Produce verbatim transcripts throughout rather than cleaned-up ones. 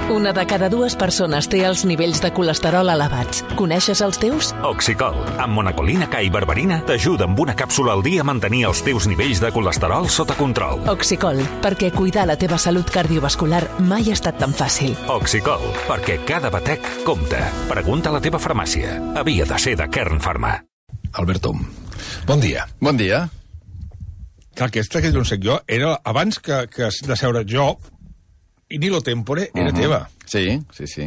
Una de cada dues persones té els nivells de colesterol elevats. Coneixes els teus? Oxicol, amb monacolina K i berberina, t'ajuda amb una càpsula al dia a mantenir els teus nivells de colesterol sota control. Oxicol, perquè cuidar la teva salut cardiovascular mai ha estat tan fàcil. Oxicol, perquè cada batec compta. Pregunta a la teva farmàcia. Havia de ser de Kern Pharma. Albert Tom, bon dia. Bon dia. Clar, aquesta que no sé jo, era abans que, que de seure jo, i Nilo Tempore era uh-huh. teva. Sí, sí, sí.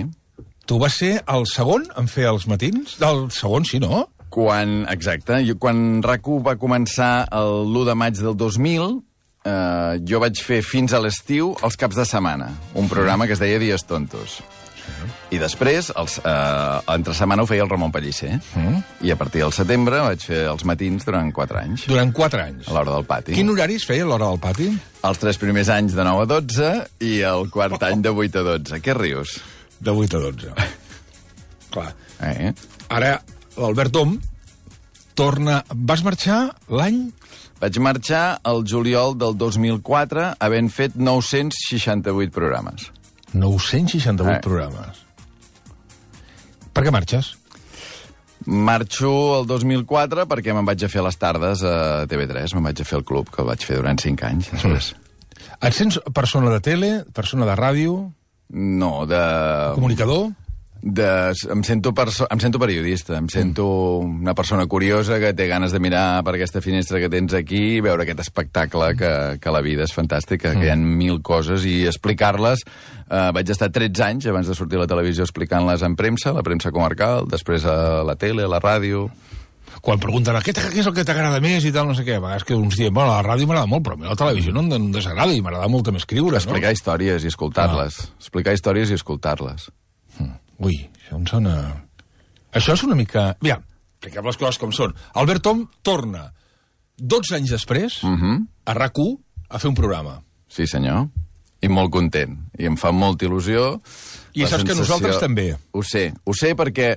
Tu vas ser el segon en fer els matins? El segon, sí, no? Quan, exacte, jo, quan RAC u va començar l'u de maig del dos mil, eh, jo vaig fer fins a l'estiu els caps de setmana, un programa que es deia Dies Tontos. I després, els, eh, entre setmana ho feia el Ramon Pellicer. Mm. I a partir del setembre vaig fer els matins durant quatre anys. Durant quatre anys? A l'hora del pati. Quin horari es feia a l'hora del pati? Els tres primers anys de nou a dotze i el quart oh. any de vuit a dotze. Què rius? De vuit a dotze. Clar. Eh? Ara, l'Albert Tom torna... Vas marxar l'any... Vaig marxar el juliol del dos mil quatre havent fet nou-cents seixanta-vuit programes. nou-cents seixanta-vuit eh. programes. Per què marxes? Marxo el dos mil quatre perquè me'n vaig a fer les tardes a T V tres, me'n vaig a fer el club, que el vaig fer durant cinc anys. Després. Mm. Et sents persona de tele, persona de ràdio? No, de... Comunicador? De... Em, sento perso... em sento periodista, em sento mm. una persona curiosa que té ganes de mirar per aquesta finestra que tens aquí i veure aquest espectacle que, que la vida és fantàstica, mm. que hi ha mil coses i explicar-les. Uh, vaig estar tretze anys abans de sortir a la televisió explicant-les en premsa, la premsa comarcal, després a la tele, a la ràdio. Quan pregunten què, què és el que t'agrada més i tal, no sé què, a vegades que uns diuen, bueno, la ràdio m'agrada molt, però a mi la televisió no em desagrada i m'agrada molt també escriure, Explicar no? històries i escoltar-les. Ah. Explicar històries i escoltar-les. Hmm. Ui, això em sona... Això és una mica... Aviam, expliquem les coses com són. Albert Tom torna dotze anys després uh-huh. a RAC u a fer un programa. Sí, senyor. I molt content. I em fa molta il·lusió. I saps sensació... que nosaltres també. Ho sé. Ho sé perquè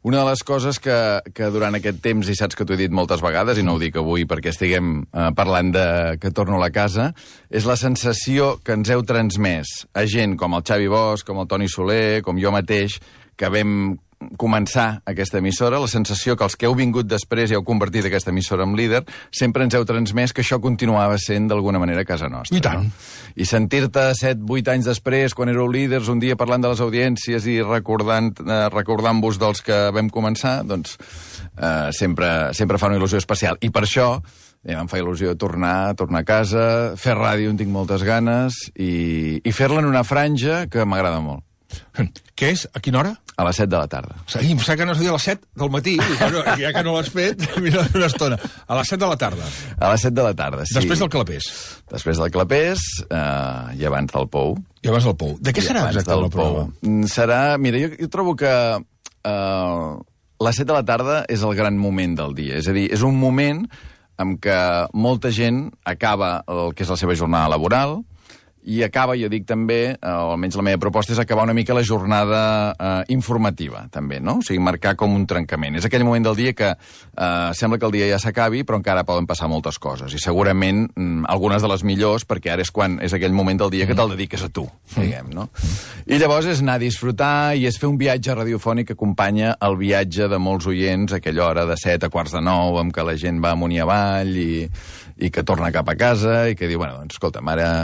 una de les coses que, que durant aquest temps, i saps que t'ho he dit moltes vegades, i no ho dic avui perquè estiguem eh, parlant de que torno a la casa, és la sensació que ens heu transmès a gent com el Xavi Bosch, com el Toni Soler, com jo mateix, que vam començar aquesta emissora, la sensació que els que heu vingut després i heu convertit aquesta emissora en líder, sempre ens heu transmès que això continuava sent d'alguna manera casa nostra. I tant. No? I sentir-te set, vuit anys després, quan éreu líders, un dia parlant de les audiències i recordant, eh, recordant-vos dels que vam començar, doncs eh, sempre, sempre fa una il·lusió especial. I per això eh, em fa il·lusió tornar, tornar a casa, fer ràdio en tinc moltes ganes i, i fer-la en una franja que m'agrada molt. Què és? A quina hora? A les set de la tarda. Sí, em sembla que no es deia a les set del matí, i bueno, ja que no l'has fet, mira una estona. A les set de la tarda. A les set de la tarda, sí. Després del Clapés. Després del Clapés eh, i abans del Pou. I abans del Pou. De què I serà exactament el programa? Serà... Mira, jo, jo trobo que eh, les set de la tarda és el gran moment del dia. És a dir, és un moment en què molta gent acaba el que és la seva jornada laboral, i acaba, jo dic també, eh, o almenys la meva proposta és acabar una mica la jornada eh, informativa, també, no? O sigui, marcar com un trencament. És aquell moment del dia que eh, sembla que el dia ja s'acabi, però encara poden passar moltes coses. I segurament mm, algunes de les millors, perquè ara és quan és aquell moment del dia que te'l dediques a tu, diguem, no? I llavors és anar a disfrutar i és fer un viatge radiofònic que acompanya el viatge de molts oients a aquella hora de set a quarts de nou, amb què la gent va amunt i avall i, i que torna cap a casa i que diu, bueno, doncs, escolta'm, ara...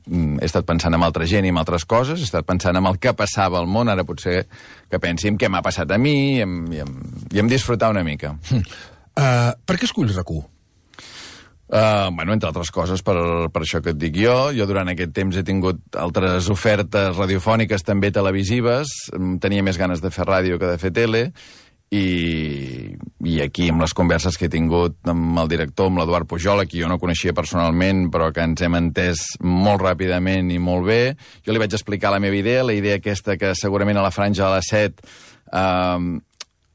he estat pensant en altra gent i en altres coses, he estat pensant en el que passava al món, ara potser que pensi en què m'ha passat a mi i em, i em, i em disfrutar una mica. Mm. Uh, per què esculls RAC u? Uh, bueno, entre altres coses, per, per això que et dic jo. Jo durant aquest temps he tingut altres ofertes radiofòniques, també televisives. Tenia més ganes de fer ràdio que de fer tele. I, i aquí, amb les converses que he tingut amb el director, amb l'Eduard Pujol, qui jo no coneixia personalment, però que ens hem entès molt ràpidament i molt bé, jo li vaig explicar la meva idea, la idea aquesta que segurament a la franja de les set eh,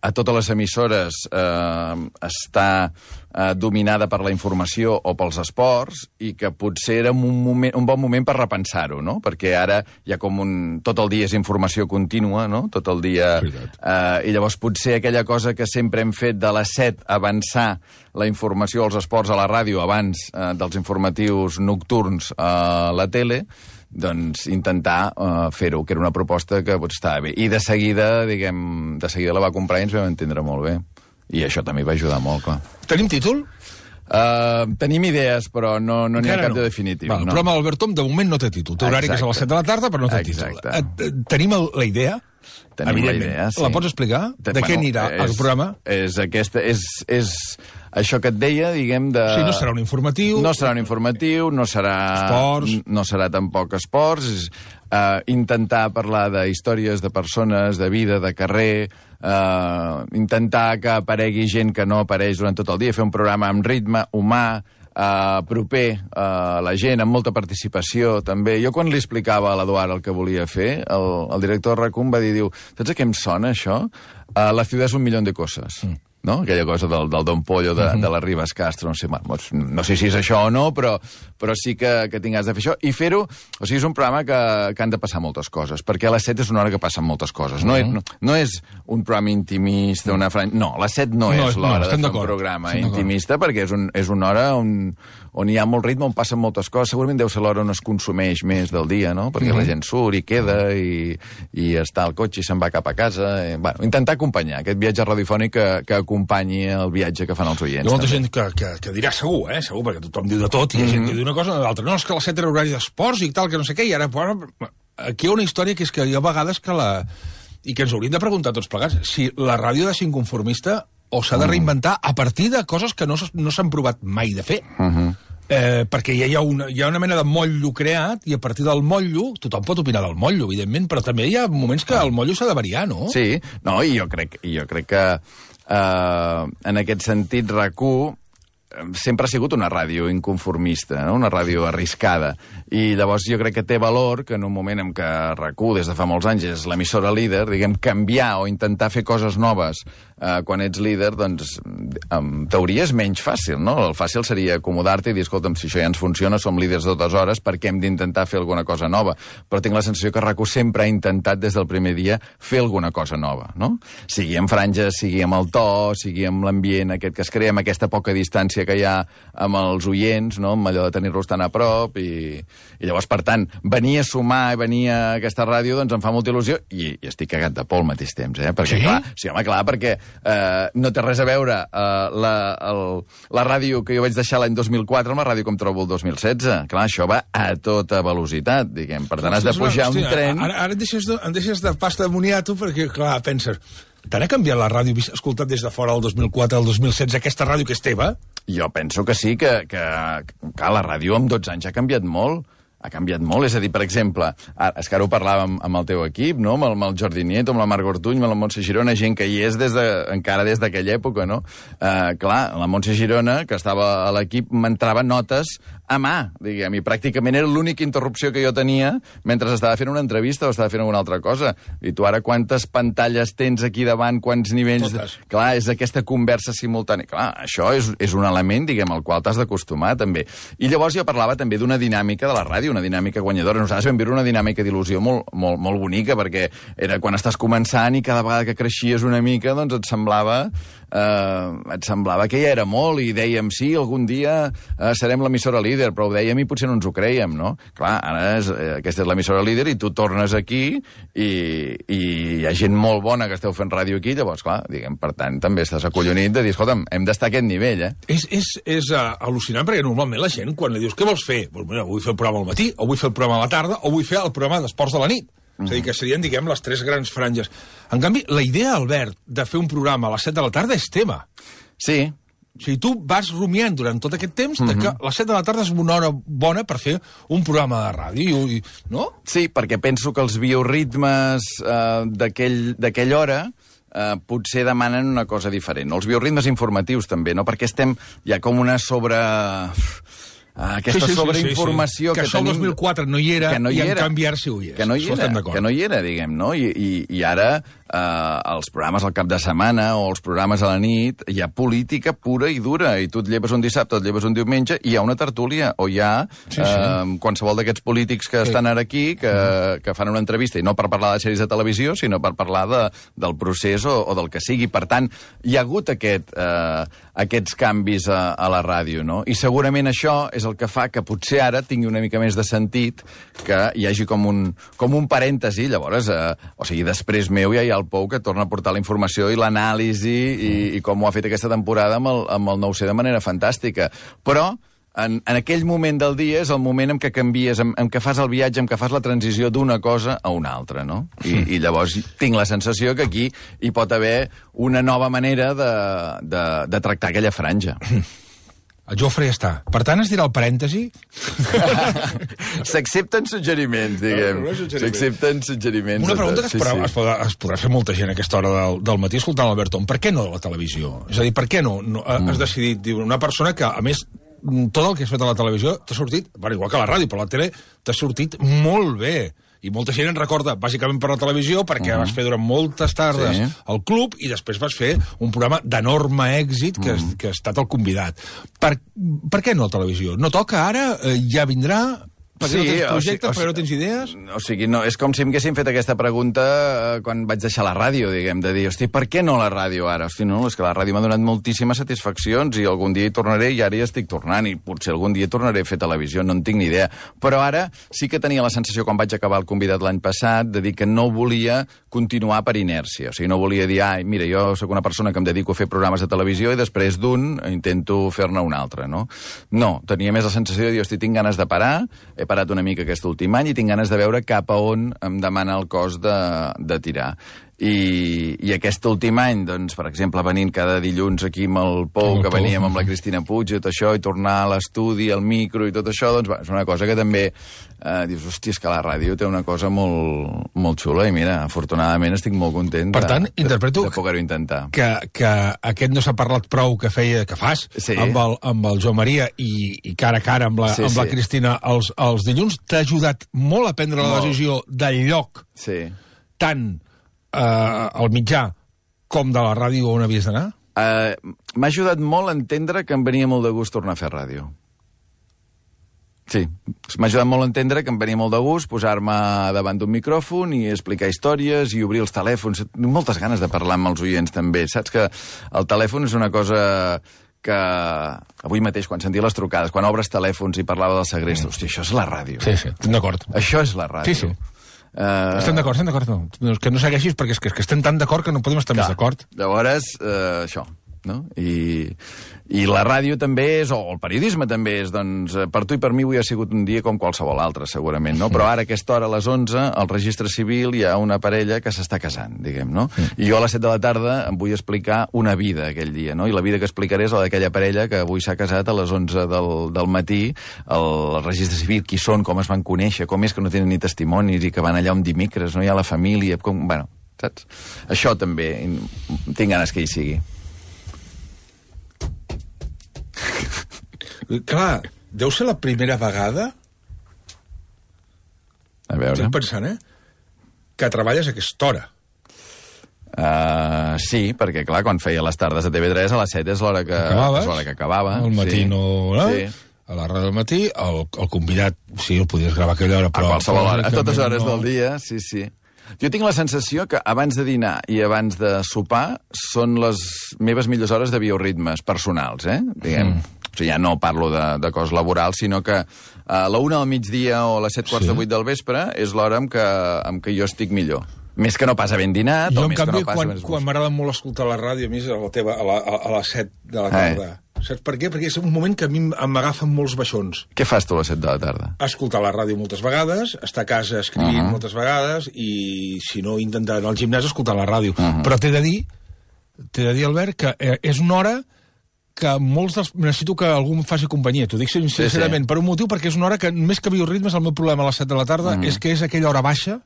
a totes les emissores eh, està eh, dominada per la informació o pels esports i que potser era un, moment, un bon moment per repensar-ho, no? Perquè ara hi ha com un... Tot el dia és informació contínua, no? Tot el dia... Eh, I llavors potser aquella cosa que sempre hem fet de les set avançar la informació als esports a la ràdio abans eh, dels informatius nocturns a la tele, doncs intentar uh, fer-ho, que era una proposta que pues, estava bé. I de seguida, diguem, de seguida la va comprar i ens vam entendre molt bé. I això també va ajudar molt, clar. Tenim títol? Uh, tenim idees, però no n'hi no ha cap no. de definitiu. Va, el no. programa d'Albert Tom de moment no té títol. Té horari que és a les set de la tarda, però no té Exacte. títol. Tenim el, la idea? Tenim la idea, sí. La pots explicar? De bueno, què anirà és, el programa? És, aquesta, és, és això que et deia, diguem, de... Sí, no serà un informatiu. No serà un informatiu, no serà... Esports. No serà tampoc esports. És, uh, intentar parlar de històries de persones, de vida, de carrer, uh, intentar que aparegui gent que no apareix durant tot el dia, fer un programa amb ritme humà, Uh, proper a uh, la gent, amb molta participació, també. Jo quan li explicava a l'Eduard el que volia fer, el, el director de RAC u va dir, diu, saps a què em sona, això? Uh, la ciutat és un milió de coses. Mm. No? Aquella cosa del, del Don Pollo, de, mm-hmm. de la Ribes Castro, no sé, no sé si és això o no, però, però sí que, que tinc ganes de fer això. I fer-ho, o sigui, és un programa que, que han de passar moltes coses, perquè a les set és una hora que passen moltes coses. No, mm-hmm. és, no, no és un programa intimista, una franja... No, a les set no, no és l'hora no, de fer un programa intimista, perquè és, un, és una hora on, on hi ha molt ritme, on passen moltes coses. Segurament deu ser l'hora on es consumeix més del dia, no? Perquè mm-hmm. la gent surt i queda i, i està al cotxe i se'n va cap a casa. I, bueno, intentar acompanyar aquest viatge radiofònic que, que acompanyi el viatge que fan els oients. Hi ha molta també. gent que, que, que dirà segur, eh? Segur, perquè tothom diu de tot, i hi ha gent que diu una cosa o l'altra. No, és que a les set era horari d'esports i tal, que no sé què, i ara... Bueno, aquí hi ha una història que és que hi ha vegades que la... I que ens hauríem de preguntar tots plegats, si la ràdio ha de ser inconformista o s'ha de reinventar a partir de coses que no, no s'han provat mai de fer. Uh -huh. Eh, perquè ja hi ha, una, hi ha una mena de motllo creat i a partir del motllo, tothom pot opinar del motllo, evidentment, però també hi ha moments que el motllo s'ha de variar, no? Sí, no, i jo crec, jo crec que eh, en aquest sentit RAC u sempre ha sigut una ràdio inconformista, no? Una ràdio arriscada. I llavors jo crec que té valor que en un moment en què RAC u des de fa molts anys és l'emissora líder, diguem, canviar o intentar fer coses noves eh, quan ets líder, doncs en teoria és menys fàcil, no? El fàcil seria acomodar-te i dir, escolta'm, si això ja ens funciona, som líders de dues hores, per què hem d'intentar fer alguna cosa nova? Però tinc la sensació que RAC u sempre ha intentat des del primer dia fer alguna cosa nova, no? Sigui amb franges, sigui amb el to, sigui amb l'ambient aquest que es crea, amb aquesta poca distància que hi ha amb els oients, no? Amb allò de tenir-los tan a prop i, i llavors, per tant, venir a sumar i venir a aquesta ràdio, doncs em fa molta il·lusió i, i estic cagat de por al mateix temps, eh? Perquè, sí? clar, sí, home, clar, perquè eh, no té res a veure eh, la, el, la ràdio que jo vaig deixar l'any dos mil quatre amb la ràdio que em trobo el dos mil setze. Clar, això va a tota velocitat, diguem. Per tant, has de pujar un tren... Ara, ara em, deixes de, em deixes de pasta de moniato perquè, clar, penses... Tant ha canviat la ràdio escoltat des de fora el dos mil quatre al dos mil setze, aquesta ràdio que és teva? Jo penso que sí, que, que, que la ràdio amb dotze anys ha canviat molt. Ha canviat molt, és a dir, per exemple, ara, és que ara ho parlàvem amb el teu equip, no? amb, el, amb el Jordi Nieto, amb la Marc Ortuny, amb la Montse Girona, gent que hi és des de, encara des d'aquella època, no? Uh, clar, la Montse Girona, que estava a l'equip, m'entrava notes a mà, diguem, i pràcticament era l'única interrupció que jo tenia mentre estava fent una entrevista o estava fent alguna altra cosa. I tu ara quantes pantalles tens aquí davant, quants nivells... Totes. Clar, és aquesta conversa simultània. Clar, això és, és un element, diguem, al qual t'has d'acostumar, també. I llavors jo parlava també d'una dinàmica de la ràdio, una dinàmica guanyadora. Nosaltres vam viure una dinàmica d'il·lusió molt, molt, molt bonica, perquè era quan estàs començant i cada vegada que creixies una mica, doncs et semblava... Uh, et semblava que ja era molt i dèiem, sí, algun dia uh, serem l'emissora líder, però ho dèiem i potser no ens ho creiem, no? Clar, ara és, eh, aquesta és l'emissora líder i tu tornes aquí i, i hi ha gent molt bona que esteu fent ràdio aquí, llavors, clar, diguem, per tant, també estàs acollonit de dir, escolta'm, hem d'estar a aquest nivell, eh? És, és, és uh, al·lucinant, perquè normalment la gent, quan li dius, què vols fer? Pues, mira, vull fer el programa al matí, o vull fer el programa a la tarda, o vull fer el programa d'esports de la nit. És a dir, que serien, diguem, les tres grans franges. En canvi, la idea, Albert, de fer un programa a les set de la tarda és tema. Sí. O sigui, tu vas rumiant durant tot aquest temps de que les set de la tarda és una hora bona per fer un programa de ràdio, i, no? Sí, perquè penso que els bioritmes eh, d'aquella hora eh, potser demanen una cosa diferent. Els bioritmes informatius també, no? Perquè estem ja com una sobre... Ah, aquesta sí, sí, sobreinformació sí, sí, sí. que, que tenim... Que el dos mil quatre no hi era, no hi i en era. canvi ara sí ho hi és. Que no hi era, que no hi era, diguem, no? I, i, i ara eh, els programes al cap de setmana o els programes a la nit hi ha política pura i dura, i tu et lleves un dissabte, et lleves un diumenge, i hi ha una tertúlia, o hi ha sí, sí. Eh, qualsevol d'aquests polítics que sí. estan ara aquí, que, mm. que fan una entrevista, i no per parlar de sèries de televisió, sinó per parlar de, del procés o, o del que sigui. Per tant, hi ha hagut aquest, eh, aquests canvis a, a la ràdio, no? I segurament això és és el que fa que potser ara tingui una mica més de sentit que hi hagi com un, com un parèntesi, llavors, eh, o sigui, després meu ja hi ha el Pou que torna a portar la informació i l'anàlisi i, i com ho ha fet aquesta temporada amb el, amb el nou C de manera fantàstica. Però En, en aquell moment del dia és el moment en què canvies, en, en què fas el viatge, en què fas la transició d'una cosa a una altra, no? I, i llavors tinc la sensació que aquí hi pot haver una nova manera de, de, de tractar aquella franja. El Jofre ja està. Per tant, es dirà el parèntesi? S'accepten suggeriments, diguem. No, no S'accepten suggeriments. Una pregunta que es, sí, podrà, sí. es, podrà, es podrà fer molta gent a aquesta hora del, del matí escoltant l'Albert Om. Per què no la televisió? És a dir, per què no? no has mm. decidit, diu, una persona que, a més, tot el que has fet a la televisió t'ha sortit, bueno, igual que a la ràdio, però a la tele t'ha sortit molt bé. I molta gent en recorda, bàsicament per la televisió, perquè uh -huh. vas fer durant moltes tardes sí. al club i després vas fer un programa d'enorme èxit que, uh -huh. que ha estat el convidat. Per, per què no la televisió? No toca ara? Eh, ja vindrà? Perquè sí, no tens projectes, o sigui, perquè no tens idees? O sigui, no, és com si m'haguessin fet aquesta pregunta eh, quan vaig deixar la ràdio, diguem, de dir, hosti, per què no la ràdio ara? Hosti, no, és que la ràdio m'ha donat moltíssimes satisfaccions i algun dia hi tornaré i ara ja estic tornant i potser algun dia tornaré a fer televisió, no en tinc ni idea. Però ara sí que tenia la sensació, quan vaig acabar el convidat l'any passat, de dir que no volia continuar per inèrcia. O sigui, no volia dir, ai, mira, jo sóc una persona que em dedico a fer programes de televisió i després d'un intento fer-ne un altre, no? No, tenia més la sensació de dir, hosti, tinc ganes de parar, he parat una mica aquest últim any i tinc ganes de veure cap a on em demana el cos de, de tirar. I, i aquest últim any, doncs, per exemple, venint cada dilluns aquí amb el Pou, que veníem amb la Cristina Puig i tot això, i tornar a l'estudi, al micro i tot això, doncs va, és una cosa que també eh, dius, hòstia, és que la ràdio té una cosa molt, molt xula i mira, afortunadament estic molt content per tant, de, interpreto de, de poder-ho intentar. Que, que aquest no s'ha parlat prou que feia, que fas sí. amb, el, amb el Joan Maria i, i cara a cara amb la, sí, amb la sí. Cristina els, els dilluns, t'ha ajudat molt a prendre la decisió del lloc sí. tant eh, al mitjà com de la ràdio on havies d'anar? Uh, M'ha ajudat molt a entendre que em venia molt de gust tornar a fer ràdio. Sí, m'ha ajudat molt a entendre que em venia molt de gust posar-me davant d'un micròfon i explicar històries i obrir els telèfons. Moltes ganes de parlar amb els oients, també. Saps que el telèfon és una cosa que avui mateix, quan sentia les trucades, quan obres telèfons i parlava del segrest, hòstia, això és la ràdio. Sí, sí, estem d'acord. Això és la ràdio. Sí, sí. Uh... Estem d'acord, estem d'acord. No. Que no segueixis perquè és que, és que estem tan d'acord que no podem estar Clar. més d'acord. Llavors, uh, això, no? I, I la ràdio també és, o el periodisme també és, doncs, per tu i per mi avui ha sigut un dia com qualsevol altre, segurament, no? Però ara, a aquesta hora, a les onze, al registre civil hi ha una parella que s'està casant, diguem, no? I jo a les set de la tarda em vull explicar una vida aquell dia, no? I la vida que explicaré és la d'aquella parella que avui s'ha casat a les onze del, del matí, al registre civil, qui són, com es van conèixer, com és que no tenen ni testimonis i que van allà un dimecres, no hi ha la família, com... Bueno, saps? Això també, tinc ganes que hi sigui. Clar, deu ser la primera vegada, a veure, estic pensant, eh, que treballes a aquesta hora. Uh, sí, perquè, clar, quan feia les tardes a T V tres, a les set és l'hora que, és l'hora que acabava. Al matí sí. no... no? Sí. A la ràdio del matí, el, el convidat, sí, el podies gravar a aquella hora, però... A qualsevol hora, a totes hores no... del dia, sí, sí. Jo tinc la sensació que abans de dinar i abans de sopar són les meves millors hores de bioritmes personals, eh? Diguem... Mm. O sigui, ja no parlo de, de cos laboral, sinó que a la una del migdia o a les set quarts sí. de vuit del vespre és l'hora en què, en què jo estic millor. Més que no pas havent dinat, jo, o més canvi, que no pas... quan, quan m'agrada molt escoltar la ràdio, a mi és a, la teva, a, la, a les set de la tarda. Eh. Saps per què? Perquè és un moment que a mi m'agafen molts baixons. Què fas tu a les set de la tarda? Escoltar la ràdio moltes vegades, estar a casa escrivint uh -huh. moltes vegades, i si no, intentar anar al gimnàs escoltar la ràdio. Uh -huh. Però t'he de dir, t'he de dir, Albert, que eh, és una hora que molts dels... necessito que algú em faci companyia, t'ho dic sincerament, sí, sí. per un motiu, perquè és una hora que, més que bioritmes, el meu problema a les set de la tarda mm. és que és aquella hora baixa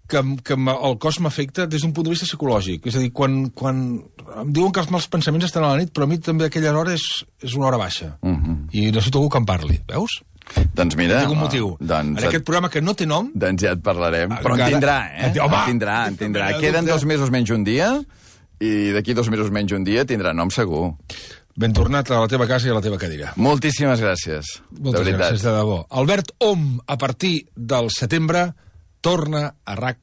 que, que el cos m'afecta des d'un punt de vista psicològic. És a dir, quan, quan em diuen que els mals pensaments estan a la nit, però a mi també aquella hora és, és una hora baixa. Mm -hmm. I necessito algú que em parli, veus? Doncs mira... Tinc un motiu. Doncs en aquest programa que no té nom... Doncs ja et parlarem. Però en tindrà, eh? Home, en tindrà, en tindrà. Queden dos mesos menys un dia, i d'aquí dos mesos menys un dia tindrà nom segur. Ben tornat a la teva casa i a la teva cadira. Moltíssimes gràcies. Moltes de gràcies, de debò. Albert Om, a partir del setembre, torna a RAC